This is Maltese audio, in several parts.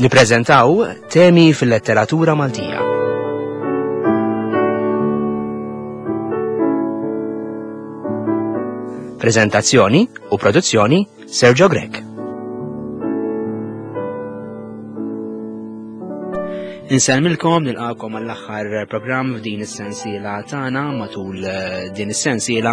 Nippreżentaw temi fil-letteratura Maltija. Prezentazzjoni u produzzjoni Sergio Grech. Insellmilkom nilqakom għall-aħħar programm f'din is-sensiela tagħna matul eh, din is-sensiela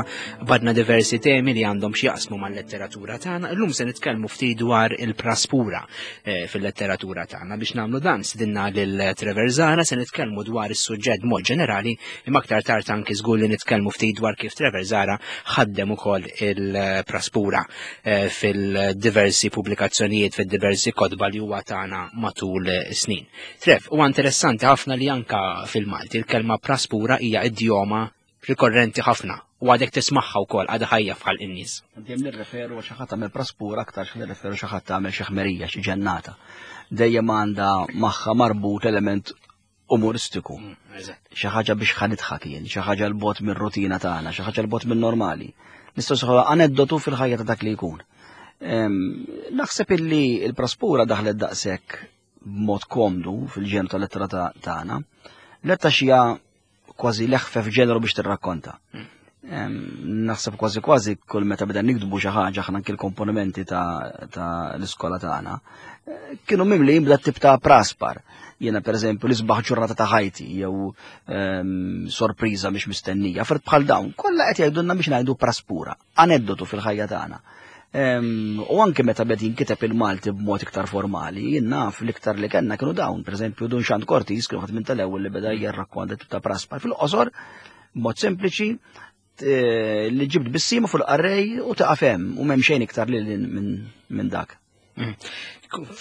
badna diversi temi li għandhom x'jaqsmu mal-letteratura tagħna. Illum se nitkellmu ftit dwar il-praspura eh, fil-letteratura tagħna biex nagħmlu dan sidinna lil Trevor Zara se nitkellmu dwar is-suġġett mod ġenerali imma aktar tard anki żgur li nitkellmu ftit dwar kif Trevor Zara ħaddem ukoll il-praspura eh, fil-diversi pubblikazzjonijiet fid-diversi kotba li huwa tagħna matul snin. Trev, huwa interessanti ħafna li anka fil-Malti il-kelma praspura hija idjoma rikorrenti ħafna u għadek tismagħha wkoll għadha ħajja f'ħalq in-nies. Dejjem nirreferu għal xi ħadd tagħmel praspura aktar xi nirreferu xi ħadd tagħmel xi ħmerija, xi ġennata. Dejjem għandha magħha marbut element umoristiku. Mm, xi ħaġa biex ħanidħak jien, xi ħaġa l-bot mir-rutina tagħna, xi ħaġa l-bot min-normali. Nistgħu sħu aneddotu fil-ħajja ta' dak li jkun. Naħseb illi il-praspura daħlet daqshekk b'mod komdu fil-ġenru tal-lettera tagħna, letta xija kważi leħfef ġenru biex tirrakkonta. Naħseb kważi kważi kull meta beda nikdbu xi ħaġa aħna anki l-komponimenti ta' l-iskola tagħna, eh, kienu mimlijin bla tip ta' praspar. Jiena pereżempju l-isbaħ ġurnata ta' ħajti jew sorpriża mhix mistennija, fert bħal dawn, kollha qed jgħidulna biex ngħidu praspura. aneddotu fil-ħajja tagħna. U anke meta bed jinkiteb il-Malti b'mod iktar formali, jien naf l-iktar li kellna kienu dawn, pereżempju Dun Xand Cortis kienu ħadd minn tal-ewwel li beda jirrakkonta tip ta' praspar fil-qosor, b'mod sempliċi, li ġibt bissima fuq il-qarrej u taqaf hemm u m'hemm xejn iktar lil minn dak. Mm.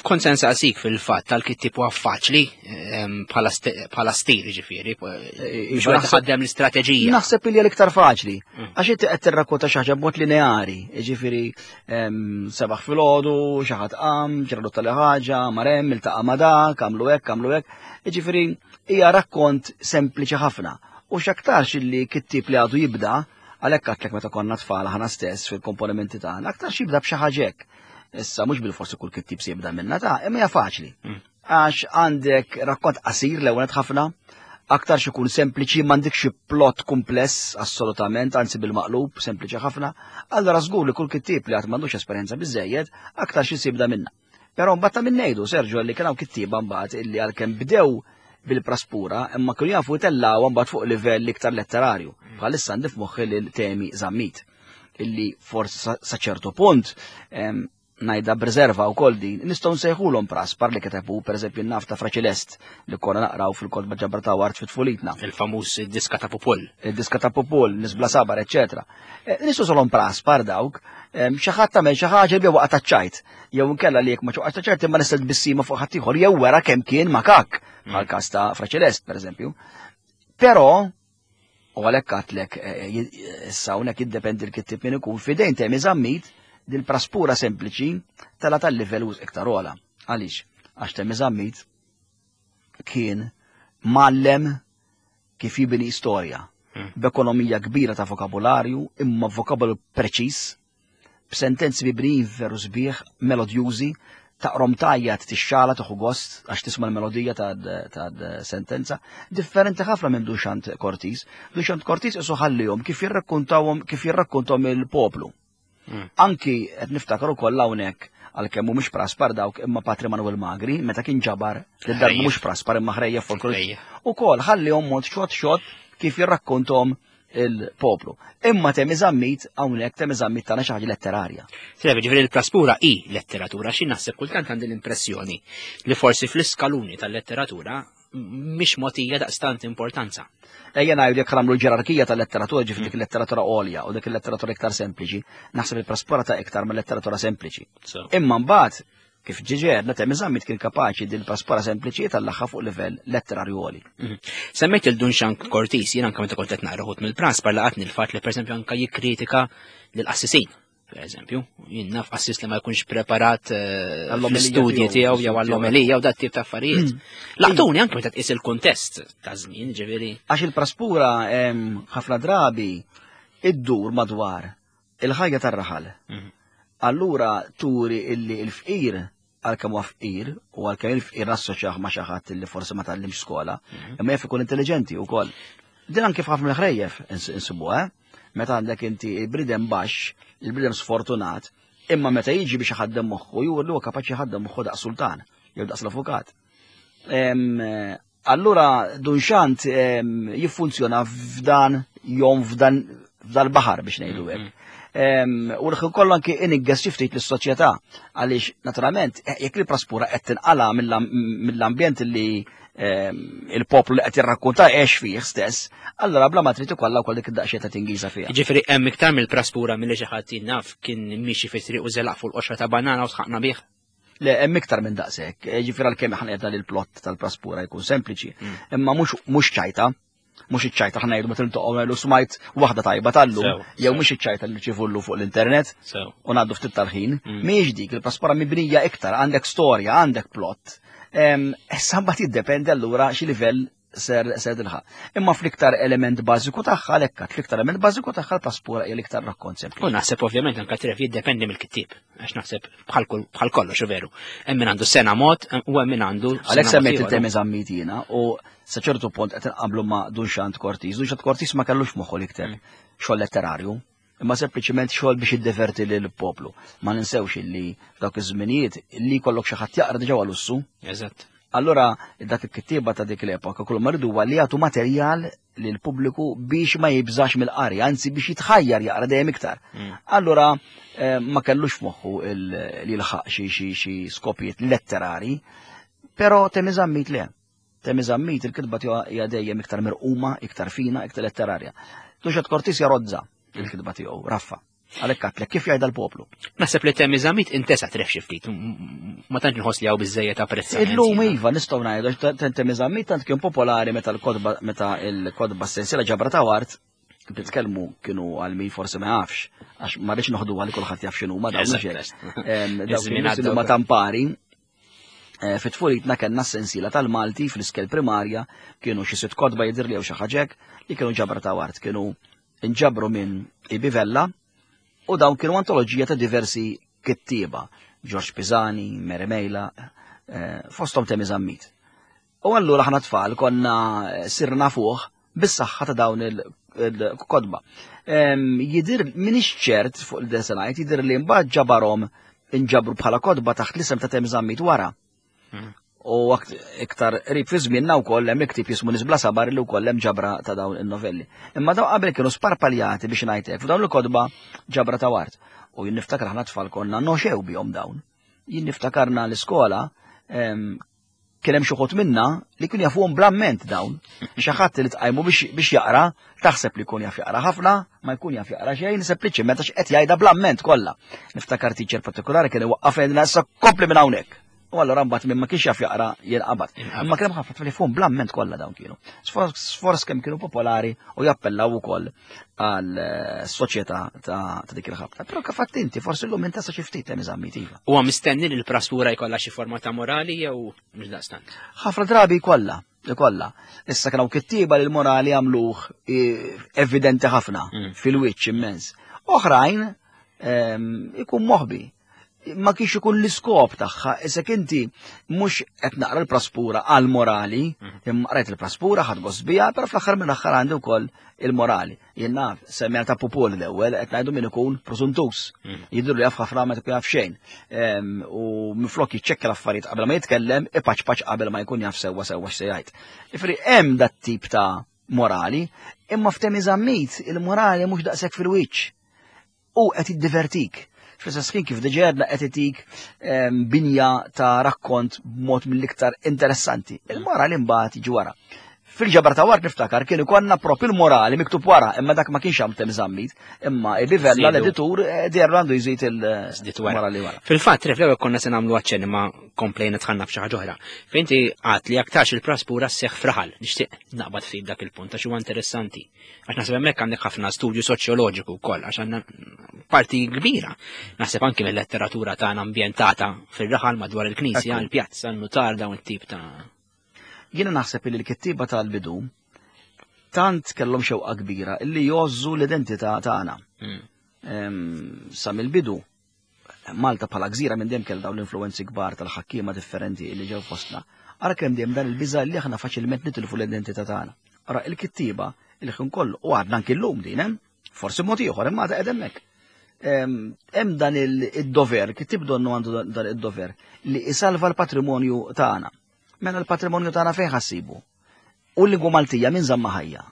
Kont se nsaqsik fil-fatt tal-kittib huwa faċli ehm, bħala stil ġifieri, eh, biex wieħed ħaddem l-istrateġija. Naħseb li l-iktar faċli, mm. għax inti qed tirrakkonta xi ħaġa b'mod lineari, ġifieri ehm, sebaħ filgħodu, xi ħadd qam, ġralu tal ħaġa, marem, iltaqa' ma' dak, għamlu hekk, għamlu hekk. Ġifieri hija rakkont sempliċi ħafna. U x'aktarx illi kittib li għadu jibda, għalhekk għadtlek meta konna tfal aħna stess fil-komponimenti tagħna, aktarx jibda b'xi ħaġa hekk. Issa mhux bil-forsi kull kittib se jibda minna ta' imma hija faċli. Mm. Għax għandek rakkont qasir l-ewwel ħafna, aktar xi jkun sempliċi m'għandekx xi plot kumpless assolutament, anzi bil-maqlub, sempliċi ħafna, allura żgur li kull kittib li għad m'għandux esperjenza biżejjed, aktar xi jibda minna. Però mbagħad ta' min ngħidu, Sergio, li kien hawn kittieba mbagħad illi għalkemm bdew bil-praspura, imma kienu jafu jtellgħu mbagħad fuq livell iktar letterarju. Mm. Bħalissa għandi f'moħħi lil Temi Zammit illi forsi sa ċertu punt najda b'riserva u kol din, nistgħu nsejħulhom praspar li kitebu, pereżempju naf ta' Fraċilest li konna naqraw fil-kotba ġabra ta' wart fit-tfulitna. Il-famuż diska ta' Pupul. Il-diska ta' Pupul, nisbla sabar, eċetera. Eh, nistgħu solhom praspar dawk, xi ħadd tagħmel xi ħaġa li waqgħet taċ-ċajt, jew inkella li jekk ma ċoqgħax ta' ċert imma nistgħu tbissima fuq ħadd ieħor jew wera kemm kien makak, bħal mm. każ ta' Fraċilest pereżempju. Però U għalhekk għatlek eh, eh, issa hawnhekk jiddependi l-kittib min ikun fidejn temi zammit dil-praspura sempliċi tala tal-livell uż iktar ola. Għaliex? Għax temi zammit kien mallem kif jibni storja hmm. b'ekonomija kbira ta' vokabularju imma vokabularju preċiż b'sentenzi mibnijin veru sbieħ, melodjużi, taqrom tajjat tixxala tieħu gost għax tisma' l-melodija ta' sentenza, differenti ħafna minn Duxant Cortis. Duxant Cortis isu ħallihom kif jirrakkuntawhom kif jirrakkuntahom il-poplu. Hmm. Anki qed niftakar ukoll hawnhekk għalkemm mhumiex praspar dawk imma Patri Manuel Magri meta kien ġabar li darba mhux praspar imma ħrejja folklor. Ukoll ħallihom mod xot xot kif jirrakkuntom il-poplu. Imma Temi Zammit hawnhekk Temi Zammit tagħna xi ħaġa letterarja. Seba ġifieri l-praspura hi letteratura xi naħseb kultant għandi l-impressjoni li forsi fl-iskaluni tal-letteratura mhix mogħtija daqstant importanza. Ejja ngħidu jekk nagħmlu l-ġerarkija tal-letteratura ġifieri dik il-letteratura għolja u dik il-letteratura iktar sempliċi, naħseb il-praspura ta' iktar mill-letteratura sempliċi. Imma mbagħad Kif ġiġi għedna, Temi Zammit kien kapaċi din il-paspara sempliċi tal-laħħa fuq livell letterarju għoli. Mhm. Semmejt il-Dun Xank Cortis, jien anka meta kont qed naqra ħut mill-praspar laqatni l-fatt li pereżempju anka jikkritika lill-qassisin. Per eżempju, jien naf qassis li ma jkunx preparat eh, l-istudji tiegħu jew għall-omelija u dat tip ta' affarijiet. Mm. Laqtuni anke meta tqis il-kuntest ta' żmien, ġifieri. Għax il-praspura ħafna drabi iddur madwar il-ħajja tar-raħal. Mhm. Allura turi illi l-fqir għalkemm huwa fqir u għalkemm il-fqir assoċjah ma' xi ħadd li forsi ma tgħallimx skola, imma jaf ikun intelligenti wkoll. Din anke f'ħafna mill-ħrejjef insibuha, eh? Meta għandek inti il-bniedem baxx, il-bniedem sfortunat, imma meta jiġi biex iħaddem moħħu, jur li huwa kapaċi jħaddem moħħu daqs sultan, jew daqs l-avukat. Allura Dun Xant jiffunzjona f'dan jom f'dan f'dal-baħar biex ngħidu hekk. U l-ħin kollu anki inigges xi ftit lis-soċjetà għaliex naturalment eh, jekk il-praspura qed tinqala mill-ambjent li il-poplu li qed jirrakkunta għex fih stess, allura bla ma trid ikollha wkoll dik id-daqsxejn ta' tingiża fiha. Ġifieri hemm iktar mill-praspura milli xi ħadd naf kien miexi fi triq u żelaq fuq l-qoxra ta' banana u sħaqna bih. Le, hemm iktar minn daqshekk. Eh, ġifieri għalkemm aħna qed li l-plott tal-praspura jkun sempliċi, mm. imma mhux ċajta, mhux iċ-ċajta ħna ngħidu meta niltaqgħu ngħidu smajt waħda tajba tal-lum, jew mhux iċ-ċajta li nirċievullu fuq l-internet u ngħaddu ftit tal-ħin. Mm. Mhijiex dik il-praspura mibnija iktar, għandek storja, għandek plott. Issa mbagħad jiddependi allura xi livell ser ser tilħaq. Imma fl-iktar element bażiku tagħha għalhekk fl-iktar element bażiku tagħha l-paspura hija l-iktar rakkont sempliċi. U naħseb ovvjament anke tref jiddependi mill-kittieb, għax naħseb bħal kollox veru. Hemm min għandu sena mod u hemm min għandu. Għalhekk semmejt il-temi żammit jiena u sa ċertu punt qed inqablu ma' Dunxant Cortis. Dunxant Cortis ma kellux moħħu l-iktar mm. xogħol letterarju imma sempliċiment xogħol biex jiddeverti lil poplu. Ma ninsewx illi f'dawk iż-żminijiet li jkollok xi ħadd jaqra diġà lussu. Eżatt. Allura dak il-kittieba ta' dik l-epoka kull ma rridu li jagħtu materjal lil pubbliku biex ma jibżax mill-qari, anzi biex jitħajjar jaqra dejjem iktar. Mm. Allura eh, ma kellux f'moħħu li jilħaq xi xi skopijiet letterari, però Temi Zammit le. Temi Zammit il-kitba tiegħu hija dejjem iktar mirquma, iktar fina, iktar letterarja. Tuxet Cortis jarozza il-kitba tiegħu, raffa. Għalhekk għatlek kif jgħidha l-poplu. Naħseb li Temi Zammit intesa tref xi ftit, ma tantx nħoss li hawn biżejjed apprezzament. Illum iva nistgħu ngħidu Temi Zammit tant kien popolari meta l-kotba meta l-kotba sensiela ġabra ta' wart nitkellmu kienu għal min forsi ma jafx, għax ma rridx noħdu għal kulħadd jaf x'inhu ma dawn Dawk ma tampari Eh, fit-tfulitna kellna s-sensiela tal-Malti fl-iskel primarja kienu xi sitt kotba jidher li jew xi ħaġa li kienu ġabra ta' wart, kienu inġabru minn Ibi Vella u dawn kienu antoloġija ta' diversi kittieba, George Pisani, Mary Mejla, eh, fosthom Temi Zammit. U allura ħana tfal konna eh, sirna fuq bis-saħħa ta' dawn il-kodba. Jidir minix ċert fuq il-desenajt, jidir li mbagħad ġabarhom inġabru bħala kodba taħt l-isem ta' Tem Zammit wara. Hmm. U iktar qrib fi żmienna wkoll hemm iktib jismu Nisbla Sabar li wkoll hemm ġabra ta' dawn in-novelli. Imma dawn qabel kienu sparpaljati biex ngħidlek f'dawn il-kodba ġabra ta' wart. U jien niftakar aħna tfal konna noxew bihom dawn. Jien niftakarna l-iskola Kien hemm xi wħud minna li kienu jafuhom bl-amment dawn. Xi ħadd li tqajmu biex jaqra, taħseb li jkun jaf jaqra ħafna, ma jkun jaf jaqra xejn, sempliċement għax qed jgħidha bl-amment kollha. Niftakar teacher partikolari kien iwaqqaf jgħidilna issa kompli minn hawnhekk. U allura mbagħad minn ma kienx jaf jaqra jinqabad. Imma kien hemm ħafna tfal jafuhom bl-amment kollha dawn kienu. Sforz kemm kienu popolari u jappellaw ukoll għal eh, soċjetà ta' dik il-ħabta. Però kif għadt inti, forsi llum intesa xi ftit hemm iżammit iva. Huwa mistenni li l-prastura jkollha xi forma ta' morali jew mhux daqstant? Ħafna drabi jkollha, jkollha. Issa kienu kittieba li l-morali għamluh eh, evidenti ħafna mm. fil-wiċċ immens. Oħrajn ehm, ikun moħbi ma kienx ikun l-iskop tagħha, isek inti mhux qed naqra l-praspura għal morali, mhm. imma qrajt il-praspura ħadd gost biha, però fl-aħħar mill-aħħar għandi wkoll il-morali. Jien naf, semmija ta' pupol l-ewwel qed ngħidu min ikun prosuntus. Mhm. Jidhru li jaf ħafna ma tkun jaf xejn. U minflok jiċċekkja l-affarijiet qabel ma jitkellem, ipaċpaċ qabel ma jkun jaf sewwa sewwa x'se jgħid. Ifri hemm dat tip ta' morali, imma f'temi żammit il-morali mhux daqshekk fil-wiċċ. u qed jiddivertik. Fl-istess ħin kif diġà għedna qed itik ehm, binja ta' rakkont b'mod mill-iktar interessanti. Il-morali mbagħad jiġi wara. Fil-ġabra ta' war niftakar kien ikollna propju l-morali miktub wara, imma dak ma kienx hawn zammit, imma il-livella l-editur eh, dejjem għandu jżid il-morali wara. Fil-fatt, ref l-ewwel konna se nagħmlu aċċenn imma komplejna tħanna f'xi ħaġa oħra. Fejn inti għad li aktarx il-praspura sseħħ fraħal, nixtieq naqbad ftit dak il-punt għax huwa interessanti. Għax naħseb hemmhekk għandek ħafna studju soċjoloġiku wkoll għax għandna parti kbira. Naħseb anki mill-letteratura tagħna ambjentata fir-raħal madwar il-knisja, il-pjazza, n-nutar dawn it-tip ta' Jiena naħseb li l-kittieba tal-bidu tant kellhom xewqa kbira illi jgħożżu l-identità tagħna. Hmm. Sa mill-bidu. Malta bħala gżira minn dejjem kellha dawn l-influenzi kbar tal-ħakkiema differenti li ġew fostna. Ara kemm dejjem dan il-biża' li aħna faċilment nitilfu l-identità tagħna. Ara il-kittieba il-ħin kollu u għadna anki llum din hemm, forsi mod ieħor imma għadha hemmhekk. Hemm dan id-dover, kittieb donnu għandu dan id-dover li isalva l-patrimonju tagħna. Mela l-patrimonju tagħna fejn ħassibu? U l-lingwa Maltija min żamma ħajja?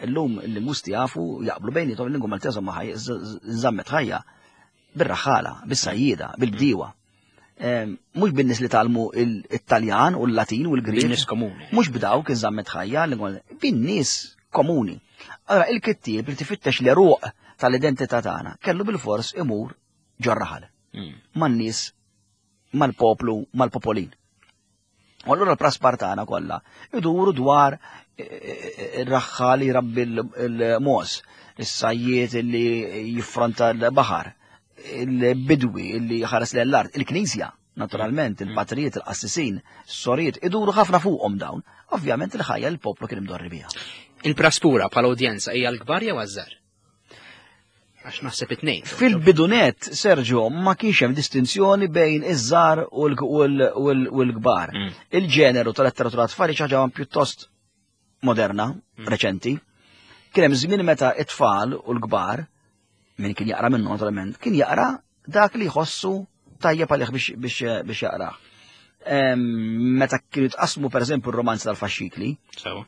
Illum il-lingwisti jafu jaqblu bejnietom il-lingwa Maltija żamma ħajja, żammet ħajja bir-raħħala, bis-sajjieda, bil-bdiewa. Mhux bin-nies li talmu it-Taljan u l-Latin u l-Grieg. Bin-nies komuni. Mhux b'dawk iżammet ħajja, bin-nies komuni. Allora il-kittieb li tifittex l-eruq tal-identità tagħna kellu bil-fors imur ġorraħal. Man-nies, mal-poplu, mal-popolin. U allura l-praspar tagħna kollha iduru dwar eh, eh, ir-raħħa li jrabbi l-mos, is-sajjiet li jiffronta l-baħar, il-bidwi li ħares l-art, il-knisja, naturalment, mm. il-patrijiet, il-qassisin, s-sorijiet, iduru ħafna fuqhom dawn. Ovvjament il-ħajja l-poplu kien imdorri biha. Il-praspura bħala udjenza hija l-kbar jew għażżar? Għax naħseb it-tnejn. Fil-bidunet, Sergio, ma kienx hemm distinzjoni bejn iż-żgħar u l-kbar. Mm. Il-ġeneru tal-letteratura tfal xi ħaġa pjuttost moderna, mm. reċenti. Kien hemm żmien meta it-tfal u l-kbar, min kien jaqra minnu naturalment, kien jaqra dak li jħossu tajjeb għalih biex jaqra. Meta kienu jitqasmu pereżempju r-romanzi tal-faxxikli,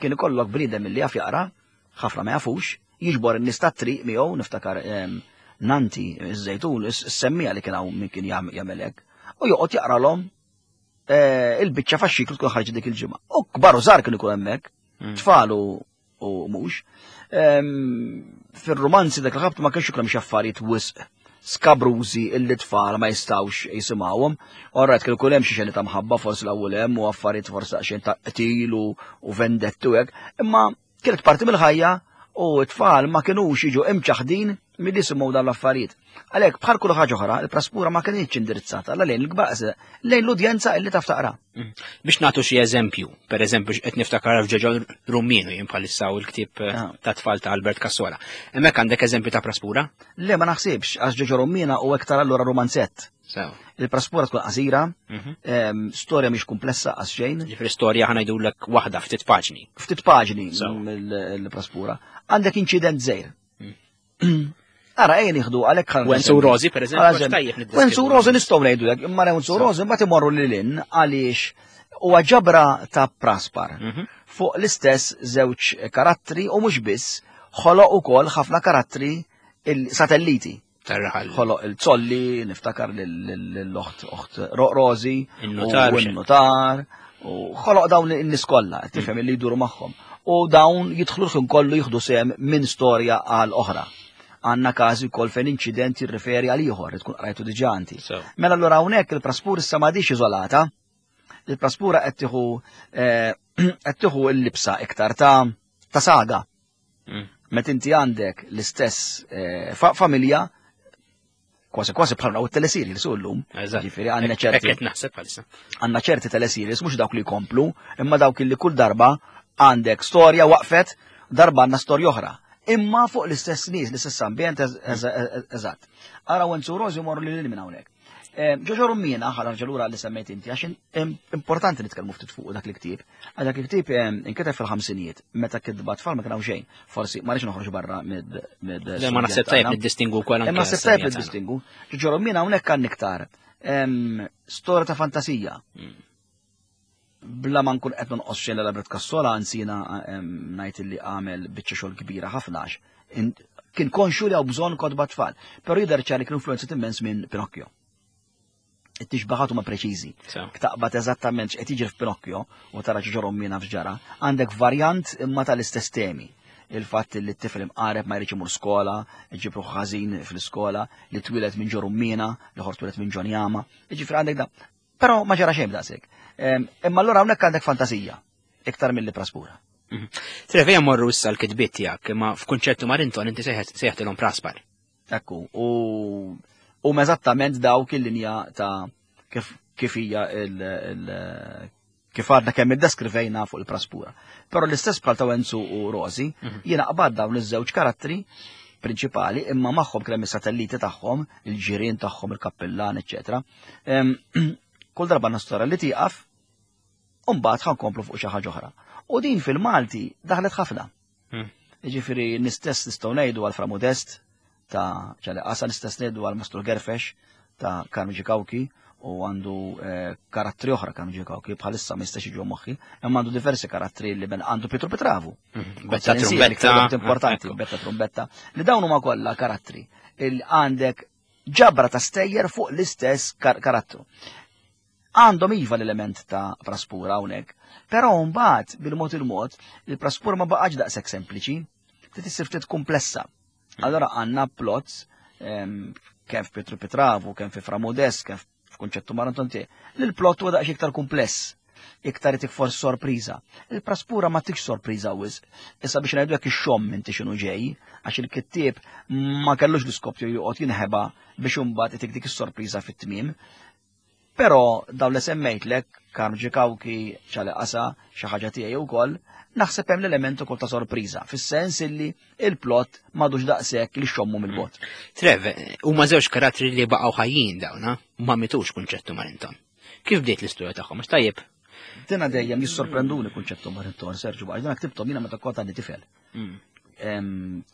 kien ikollok bniedem li jaf jaqra, ħafna ma jafux, jiġbor in-nies tat-triq miegħu, niftakar Nanti, iż-Żejtun, is-semmija li kien hawn min kien jagħmel hekk, u joqgħod jaqralhom eh, il-biċċa faxxiklu tkun ħarġet dik il-ġimgħa. U kbar u żgħar kien ikun hemmhekk, mm. tfal u mhux. Fir-romanzi dak il-ħabt ma kienx ikun hemm xi affarijiet wisq skabrużi illi tfal ma jistawx jisimgħuhom. Orrajt kien ikun hemm xi xeni ta' mħabba forsi l-ewwel hemm u affarijiet forsi xejn ta' qtil u vendettu hekk, imma kienet parti mill-ħajja u t-tfal ma kinux jiġu imċaħdin milli jisimgħu dawn l-affarijiet. Għalhekk bħal kull ħaġa oħra, il-praspura ma kinitx indirizzata la lejn il-kbar lejn l-udjenza illi taf taqra. Mm. Biex nagħtu xi eżempju, per eżempju qed niftakar f'Ġoġo Rumminu jien bħalissa u l-ktieb eh, ah. ta' tfal ta' Albert Cassola. Hemmhekk għandek eżempju ta' praspura? Le ma naħsibx, għax Ġoġo Rummina u iktar allura romanzett. Il-praspura tkun qasira, mhm. storja mhix komplessa qas xejn. Ġifieri storja ħa ngħidulek waħda ftit paġni. Ftit paġni il-praspura. Għandek inċident żejr. Mm. Ara, ejja nieħdu għalhekk ħan. Wenzu Rosi, per eżempju, tajjeb niddeskrivu. Wenzu Rosi nistgħu ngħidu hekk, imma Wenzu Rosi mbagħad imorru lil hinn għaliex huwa ġabra ta' praspar mhm. fuq l-istess żewġ karattri u mhux biss ħoloq ukoll ħafna karattri il-satelliti. Tarraħal. Ħoloq il-zolli, niftakar l-oħt oħt Rosi, il-notar, il-notar, u ħoloq dawn in-nies kollha, tifhem li jduru magħhom. U dawn jidħlu l-ħin kollu jieħdu sehem minn storja għal oħra. Għandna każi wkoll fejn inċident jirriferi għal ieħor li tkun qrajtu diġà inti. Mela allura hawnhekk il-praspur issa m'għadix iżolata. Il-praspura qed tieħu eh, qed tieħu l-libsa iktar ta' ta' saga. Mm. Meta inti għandek l-istess eh, familja kważi kważi bħal u telesiri li sullum. Ġifieri għandna ċerti. naħseb bħalissa. Għandna ċerti telesiri mhux dawk li jkomplu, imma dawk li kull darba għandek storja waqfet, darba għandna storja oħra. Imma fuq l-istess nies, l-istess ambjent eżatt. Ara Wenzu Rosi morru lil minn hawnhekk. Ġoġo Rummina, ħa nerġa' lura li semmejt inti, għax importanti nitkellmu ftit fuq dak il-ktieb. Għax dak il-ktieb inkiteb fil-ħamsinijiet, meta kitba tfal ma kien hawn xejn. Forsi ma rridx noħroġ barra mid. Le ma naħseb tajjeb niddistingu wkoll anke. Ma naħseb tajjeb niddistingu. Ġoġo Rummina hawnhekk għandna iktar storja ta' fantasija. Hmm. Bla ma nkun qed nonqos xejn l-Albert Cassola, anzi jiena ngħid li għamel biċċa xogħol kbira ħafna għax kien konxu li hawn bżonn kotba tfal. Però jidher ċar li kien influenzat immens minn Pinocchio. It-tixbaħat huma preċiżi. Taqbad eżattament x'qed jiġri f'Pinocchio u tara ġorom mina f'ġara, għandek varjant imma tal-istess temi. Il-fatt li t-tifel imqareb ma jridx imur skola, iġib ruħu ħażin fl-iskola, li twieled minn ġo Rummina, l-ieħor twieled minn ġo Njama. Jiġifieri għandek da. Però ma ġara xejn b'daqshekk. Imma allura hawnhekk għandek fantasija iktar milli praspura. Mhm. Trevija morru issa l-kitbiet tiegħek, imma f'kunċertu Marinton inti sejħtilhom praspar. Ekku, u u eżattament dawk il-linja ta' kif kif hija il kif għadna kemm iddeskrivejna fuq il-praspura. Però l-istess bħal ta' Wenzu u Rosi, mhm. jiena qbad dawn iż-żewġ karattri. prinċipali, imma magħhom kien hemm is-satelliti tagħhom, il-ġirien tagħhom, il-kappillan, eċċetera. Kull darba għandna storja li tieqaf, u mbagħad ħankomplu fuq xi ħaġa oħra. U din fil-Malti daħlet ħafna. Jiġifieri nistess nistgħu ngħidu għal Fra Modest ta' ċali Qasa, nistess ngħidu għal Mastru Gerfex ta' Karmi Ġikawki u għandu eh, karattri oħra Karmi Ġikawki bħalissa ma jistax jiġu moħħi, imma għandu diversi karattri li ben għandu Pietro Petravu. Betta trumbetta. Importanti, betta trumbetta. Li dawn huma kollha karattri il għandek ġabra ta' stejjer fuq l-istess karattru. Għandhom iva l-element ta' praspura hawnhekk, però mbagħad bil-mod il-mod il-praspura ma baqgħetx daqshekk sempliċi, trid issir ftit komplessa. Allora għandna plots kemm f'Pietru Pitravu, kemm fi Fra Modest, kemm f'Kunċettu Marantonti, li l-plot huwa daqs iktar kumpless, iktar itik forsi sorpriża. Il-praspura ma tikx sorpriża wisq. Issa biex ngħidu jekk ixxomm inti x'inhu ġej, għax il-kittieb ma kellux l-iskop tiegħu joqgħod jinħeba biex imbagħad itik dik is-sorpriża fit-tmiem. Però dawn li semmejtlek, Karm Ġikawki, Ċali Qasa, xi ħaġa tiegħi wkoll, naħseb hemm l-element ukoll ta' sorpriża, fis-sens illi il-plot m'għadux daqshekk li xommu mill-bogħod. Trev, huma żewġ karattri li baqgħu ħajjin dawn, ma mitux Kunċettu Marinton. Kif bdiet l-istorja tagħhom? Għax tajjeb. Dina dejjem jissorprenduni Kunċettu Marinton, Serġu, għax dina ktibthom jiena meta kont għandi tifel.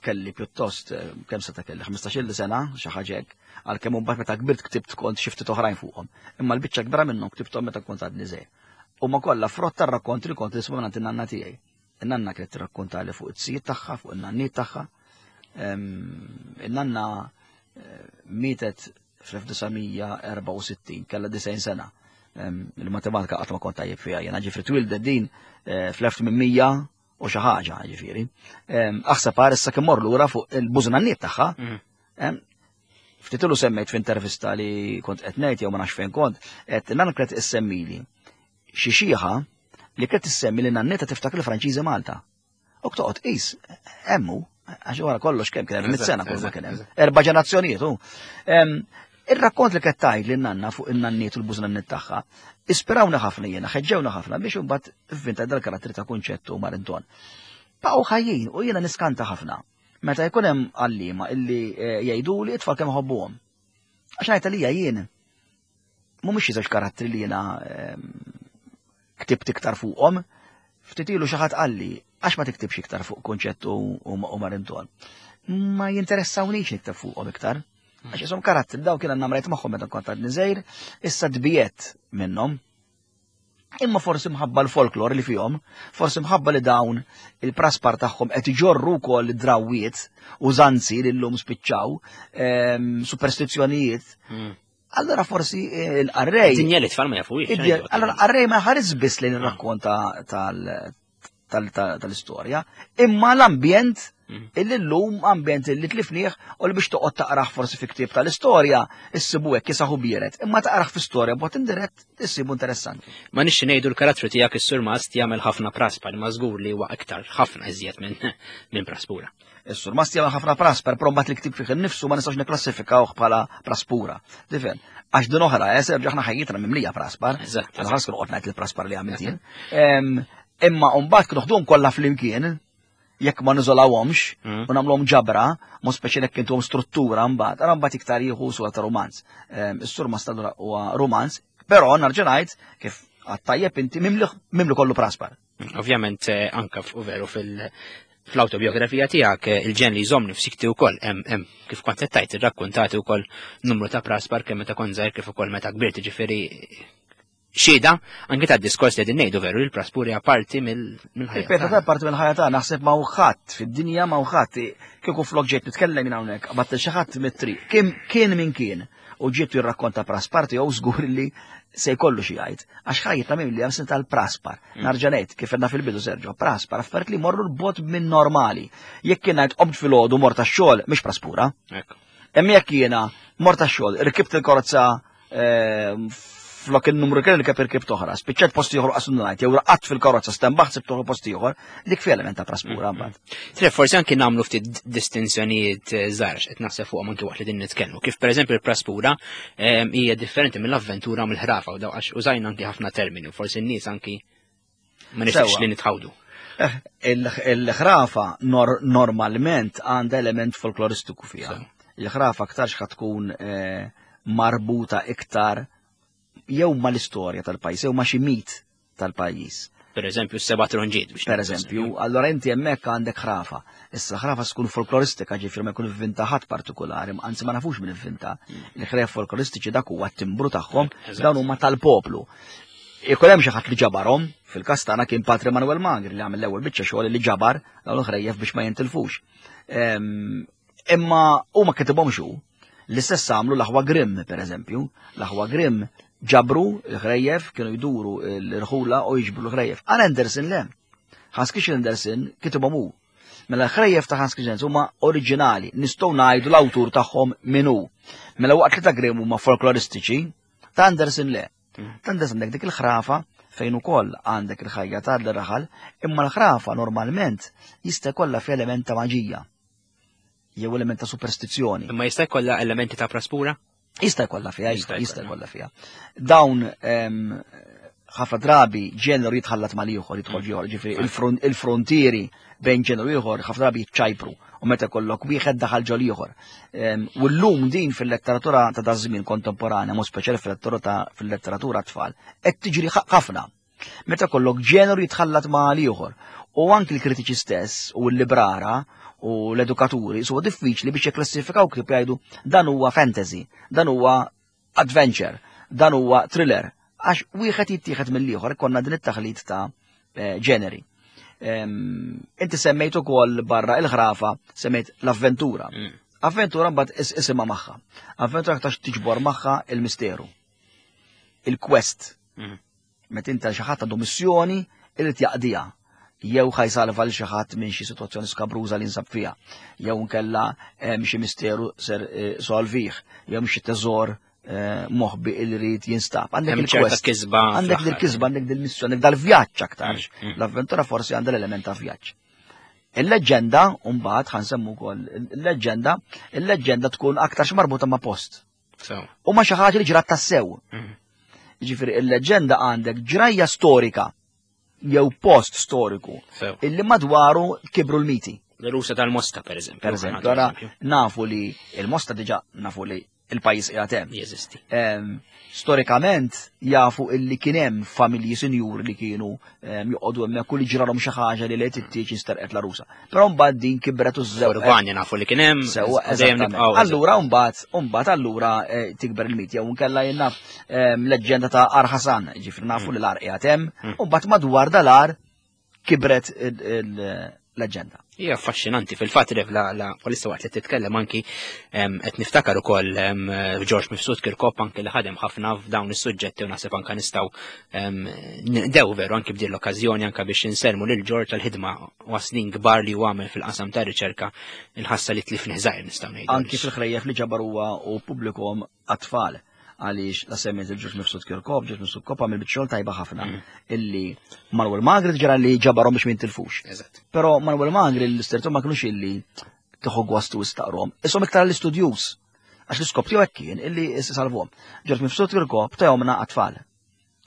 Kelli pjuttost, kemm seta' kelli, 15-il sena, xi ħaġa hekk, għalkemm imbagħad meta kbirt ktibt kont xi ftit oħrajn fuqhom. Imma l-biċċa kbira minnhom ktibthom meta kont għadni żgħir. Huma kollha frott tar-rakkont li kont nisma' mingħand in-nanna tiegħi. In-nanna kienet tirrakkontali fuq it-sijiet tagħha, fuq in-nanniet tagħha. In-nanna eh, mietet fl-1964, kellha 90 sena. Il-matematika qatt ma kont tajjeb fiha, jiena ġifri twildet din eh, fl-1800 u xi ħaġa ġifieri. Aħseb għar issa kemm mor lura fuq il-bużnanniet tagħha. Mm. Ftitilu semmejt f'intervista li kont qed ngħid jew ma nafx fejn kont, qed nan kret issemmili xi xieħa li kret issemmi li nanneta tiftakar il-Franċiżi Malta. U toqgħod qis hemmu għax wara kollox kemm kien hemm sena kull ma kien hemm. Erba' ġenerazzjonijiet hu. Ir-rakkont li kettajt li nanna fuq in-nanniet u l-bużnanniet tagħha, ispirawna ħafna jiena, ħeġġewna ħafna biex imbagħad vvinta dal-karattri ta' Kunċett u Marinton. Baqgħu ħajjin u jiena niskanta ħafna. Meta jkun hemm għalliema illi eh, jgħiduli it-tfal kemm ħobbuhom. Għax ngħid għalija jien mhumiex xi żewġ karattri li jiena ehm, ktibt iktar fuqhom, ftit ilu xi ħadd qalli għax ma tiktibx iktar fuq Kunċett u Marinton. Ma jinteressawnix nikteb fuqhom iktar. Għax isom karattri daw kien għandna mrajt magħhom meta kont għadni żgħir, issa tbiet minnhom. Imma forsi mħabba l-folklor li fihom, forsi mħabba li dawn il-praspar tagħhom qed iġorru wkoll drawwiet u zanzi li llum spiċċaw, ehm, superstizzjonijiet. Allora forsi eh, l-qarrej. Dinja li tfal ma jafuhiex. Allora l-qarrej ma ħares biss li nirrakkonta tal-istorja, imma l-ambjent illi llum ambjent illi tlifnieh u li biex toqgħod taqrah forsi fi ktieb tal-istorja, issibu hekk jisaħu bieret, imma taqrah fi storja b'mod indirett issibu interessanti. Ma nixxi ngħidu l-karattru tiegħek is-surmast jagħmel ħafna praspar, ma żgur li huwa iktar ħafna iżjed minn praspura. Is-surmast jagħmel ħafna prasper, però mbagħad il-ktieb fih innifsu ma nistgħux nikklassifikawh bħala praspura. Tifhem? Għax din oħra, eh, Serġu aħna ħajjitna mimlija praspar. Eżatt. Għal ħares kienu qed ngħid il-praspar li għamilt jien. Imma mbagħad kienu ħduhom kollha flimkien, jekk ma niżolawhomx mm. u nagħmluhom ġabra, mod speċjali jekk intuhom struttura mbagħad, ara mbagħad iktar jieħu sura ta' romanz. Is-surmast allura huwa romanz, però narġa' ngħid kif għat-tajjeb inti mimli kollu praspar. Ovvjament eh, anka veru fil- fl-autobiografija tiegħek eh, il-ġen li jżommni f'sikti wkoll hemm hemm kif kont qed tgħid irrakkuntati wkoll numru ta' praspar kemm meta kont żgħir kif ukoll meta kbirt ġifieri xhieda anke tad-diskors li qegħdin ngħidu veru li l-praspuri hija parti mill-ħajja. Il-peta ta' parti mill-ħajja ta' naħseb ma' ħadd fid-dinja ma' ħadd kieku flok ġejt nitkellem minn hawnhekk qabatt xi ħadd mit-triq. Kien min kien u ġiet jirrakkonta praspar tiegħu żgur li se jkollu xi jgħid. Għax ħajjitna minn li hemm tal-praspar. Narġa' ngħid kif għedna fil-bidu Sergio, praspar affarijiet li jmorru l-bogħod minn normali. Jekk kien ngħid qomt filgħodu mort għax-xogħol mhix praspura. Imma jekk jiena mort għax-xogħol, irkibt il-karozza eh, flok il-numru kien irkeb irkib toħra, spiċċajt post ieħor qas ngħid, jew raqadt fil-karozza stembaħt sibt post ieħor, dik fi element ta' praspura mm, mbagħad. Tre forsi anki nagħmlu ftit distinzjonijiet eh, żgħar qed naħseb fuqhom anki waqt li din nitkellmu. Kif pereżempju l-praspura eh, hija differenti mill-avventura mill-ħrafa u daw għax użajna anki ħafna termini u forsi n-nies anki ma nixtieqx li nitħawdu. Il-ħrafa normalment għandha element folkloristiku fiha. Il-ħrafa aktarx ħa tkun eh, marbuta iktar jew mal-istorja tal-pajjiż jew ma' xi mit tal-pajjiż. Per eżempju, s-seba tronġiet biex. Per eżempju, allora inti hemmhekk għandek ħrafa. Issa ħrafa tkun folkloristika ġifieri ma jkun ivvinta ħadd partikolari, anzi ma nafux min ivvinta. Il-ħref folkloristiċi dak huwa t-timbru tagħhom, dawn huma tal-poplu. Ikun hemm xi ħadd li ġabarhom, fil-każ tagħna kien Patri Manuel Magri li għamel l-ewwel biċċa xogħol li ġabar dawn il-ħrejjef biex ma jintilfux. Imma huma kitibhomx hu. L-istess għamlu l-aħwa Grimm, per eżempju. L-aħwa Grimm ġabru l-ħrejjef, kienu jduru l-irħula u jiġbru l-ħrejjef. Għal Andersen le. Hans Christian Andersen kitibhom hu. Mela l-ħrejjef ta' Hans Christian huma oriġinali, nistgħu ngħidu l-awtur tagħhom min hu. Mela waqt li ta' Grimm huma folkloristiċi, ta' Andersen le. Ta' Andersen għandek dik il-ħrafa fejn ukoll għandek il-ħajja tal-raħal, imma l-ħrafa normalment jista' jkollha fi element ta' maġija. jew element ta' superstizzjoni. Imma jista' jkollha elementi ta' praspura? Jista' jkollha fiha, jista' jkollha fiha. Dawn ħafna drabi ġeneru jitħallat mal-ieħor, jidħol ieħor, ġifieri il-frontieri bejn ġeneru ieħor ħafna drabi jitċajpru u meta kollok wieħed daħal ġol ieħor. U llum din fil-letteratura ta' dażmin kontemporanja, mod speċjali fil-letteratura tfal, qed tiġri ħafna. Meta kollok ġeneru jitħallat ma' ieħor. U anki l-kritiċi stess u l-librara u l-edukaturi huwa diffiċli biex jikklassifikaw kif jgħidu dan huwa fantasy, dan huwa adventure, dan huwa thriller, għax wieħed jittieħed mill-ieħor konna din it-taħlit ta' eh, ġeneri. Inti semmejt ukoll barra il-ħrafa, semmejt l-avventura. Mm. Avventura mbagħad isimha magħha. Avventura aktarx tiġbor magħha il-misteru. Il-quest. Mm. Meta inta xi ħadd għandu missjoni irid jaqdiha jew ħajsalva l xi ħadd minn xi sitwazzjoni skabruża li nsab fiha, jew nkella hemm xi misteru ser eh, solvih, jew xi teżor eh, moħbi il rid jinstab. Għandek il-quest, kisba. Għandek il-kisba, għandek dil-missjoni, għandek dal-vjaġġ aktarx. Mm, mm. L-avventura forsi għandha l-element ta' vjaġġ. Il-leġġenda, mbagħad ħansemmu wkoll il-leġġenda, il-leġġenda tkun aktarx marbuta ma' post. U ma xi ħaġa li ġrat tassew. Mhm. Ġifieri il-leġġenda għandek ġrajja storika jew post storiku illi madwaru kibru l-miti. L-rusa tal-Mosta, per eżempju. Per eżempju, ara nafu li il-Mosta diġa nafu li il-pajis qiegħed hemm. Jeżisti. Storikament jafu illi kien hemm familji sinjur li kienu joqogħdu hemmhekk u li ġralhom xi ħaġa li lejt it-tieġ insterqet l-arusa. Però mbagħad din kibret u żewġ. Urbani nafu li kien hemm. Sewwa, Allura mbagħad mbagħad allura eh, tikber il-mit jew nkella jien naf leġġenda ta' Ar Ħasan, ġifri nafu mm. li l-ar qiegħed hemm, mm. u mbagħad madwar dal-ar kibret il-leġġenda. Hija affaxxinanti fil-fatt Rev la la polissa waqt li titkellem anki qed niftakar ukoll George Mifsud Kirkop anki li ħadem ħafna f'dawn is-suġġetti u naħseb anke nistgħu ndew veru anki b'din l-okkażjoni anke biex insermu lil George tal-ħidma u snin kbar li huwa għamel fil-qasam ta' riċerka il-ħassa li tlifni żgħir nistgħu ngħidu. Anki fil-ħrejjef li ġabar huwa u pubblikom għat-tfal għaliex la semmiet il-ġuġ mifsud Kirkop, ġuġ mifsud Kirkop għamil biċċa xogħol tajba ħafna mm. illi Manuel Magri ġara li ġabarhom biex mintilfux. Però Manuel Magri l-istertu ma kienux illi tieħu gwastu istaqrom. Isom iktar l-istudjus għax l-iskop tiegħu hekk kien illi salvhom. Ġuġ mifsud Kirkop tajhomna għat-tfal.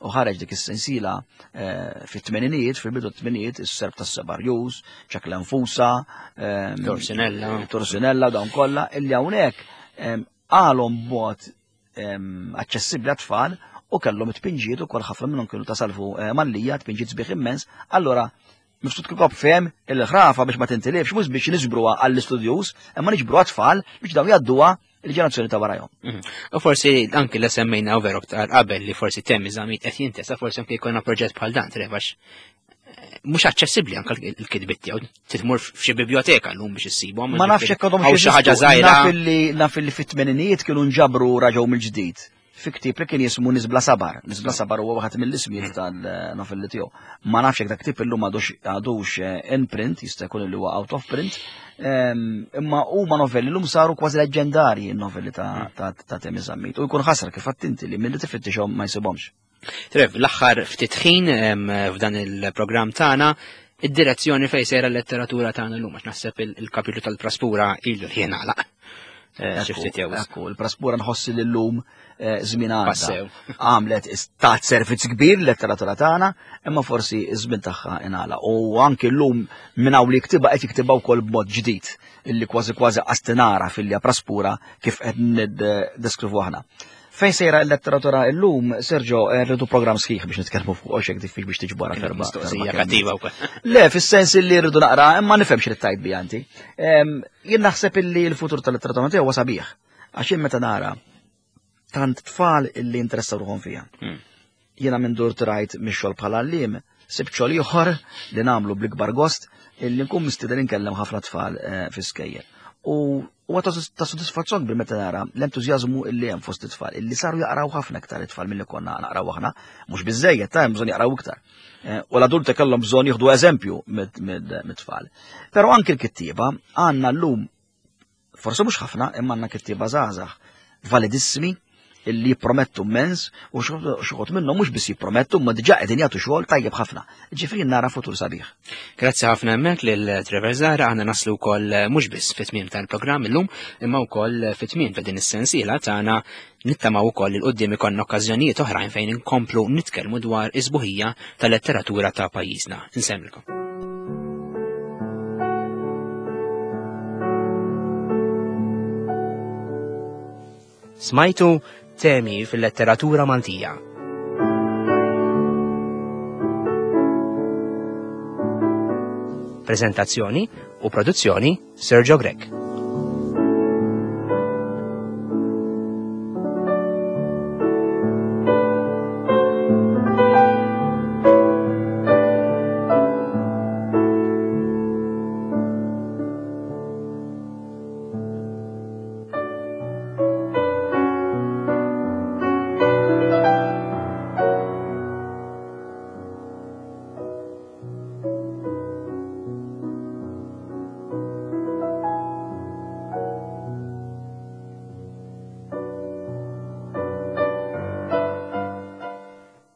U ħareġ dik is-sensiela eh, fit-tmeninijiet, fil-bidu t-tmeninijiet, is-serb tas-Sebarjus, ċak l-Anfusa, ehm, Torsinella, Torsinella dawn kollha, illi hawnhekk ehm, qalhom b'mod ehm, aċċessibbli għat-tfal u kellhom it-tpinġijiet ukoll ħafna minnhom kienu ta' salvu eh, Mallija, tpinġijiet sbieħ immens, allura Mifsud Kirkop fehem il-ħrafa biex ma tintilifx mhux biex niġbruha għall-istudjuż, imma niġbruha tfal biex dawn jgħadduha il-ġenerazzjoni ta' warajhom. Mhm. U forsi anki li semmejna u veru aktar qabel li forsi temmi żamit qed jintesa forsi anki jkollna proġett bħal dan trevax eh, mhux aċċessibbli anke l-kitbiet tiegħu titmur f'xi biblioteka llum biex issibhom. Ma nafx hekk għadhom xi ħaġa żgħira. Naf li fit-tmeninijiet kienu nġabru raġgħu mill-ġdid fi ktieb li kien jismu Nisbla Sabar. Nisbla Sabar huwa waħed mill-ismijiet tal-novelli tiegħu. Ma nafx jekk dak ktieb illum għadux eh, in print, jista' jkun li huwa out of print, ehm, imma huma novelli llum saru kważi leġġendarji n-novelli ta' mm. Temi Zammit. U jkun ħasra kif attinti li milli tifittixhom ma jsibhomx. Trev, l-aħħar ftit ħin ehm, f'dan il-programm tagħna id-direzzjoni fejn sejra l-letteratura tagħna llum għax naħseb il-kapitlu tal-praspura ilu li jingħalaq. eh, xi ftit jew. Ekku, il-praspura nħossi li llum eh, żmien għadda. Għamlet tat servizz kbir letteratura tagħna, imma forsi iż-żmien tagħha ingħala. U anki llum minn hawn li jktibha qed jiktibha wkoll b'mod ġdid illi kważi kważi qastinara fil praspura kif qed niddeskrivu aħna. Fejn sejra l-letteratura illum, Sergio, eh, rridu programm sħiħ biex nitkellmu fuq għax hekk diffiċ biex tiġbora ferba. Mistoqsija kattiva wkoll. Le, fis-sens li rridu naqra, imma nifhem xi tajt bi anti. Jien naħseb illi l-futur tal-letteratura Maltija huwa sabiħ. Għax jien meta nara tant tfal illi interessaw ruħhom fiha. Hmm. Jiena minn dur trajt mix-xogħol bħala għalliem, sibt xogħol ieħor li nagħmlu bl-ikbar gost illi nkun mistieden inkellem ħafna tfal eh, fi skejjel. U huwa ta' sodisfazzjon bil meta nara l-entużjażmu illi hemm fost it-tfal, illi saru jaqraw ħafna iktar it-tfal milli konna naqraw aħna, mhux biżejjed ta' hemm bżonn jaqraw iktar. Eh, u l-adulti kellhom bżonn jieħdu eżempju mit-tfal. Però anki l-kittieba għandna llum forsi mhux ħafna, imma għandna kittieba żgħażagħ validissimi illi jippromettu immens u xuħut minnhom mhux biss jippromettu ma diġà qegħdin jagħtu xogħol tajjeb ħafna. Ġifieri nara futur sabiħ. Grazzi ħafna hemmhekk lil Trevor Zara aħna naslu wkoll eh, mhux biss fit-tmiem tal-programm illum imma wkoll fit-tmiem ta' din is-sensiela tagħna nittamaw ukoll il qudiem ikollna okkażjonijiet oħrajn fejn inkomplu nitkellmu dwar is-sbuħija tal-letteratura ta' pajjiżna. Insemmilkom. Smajtu temi fil-letteratura Maltija. Prezentazzjoni u produzzjoni Sergio Grech.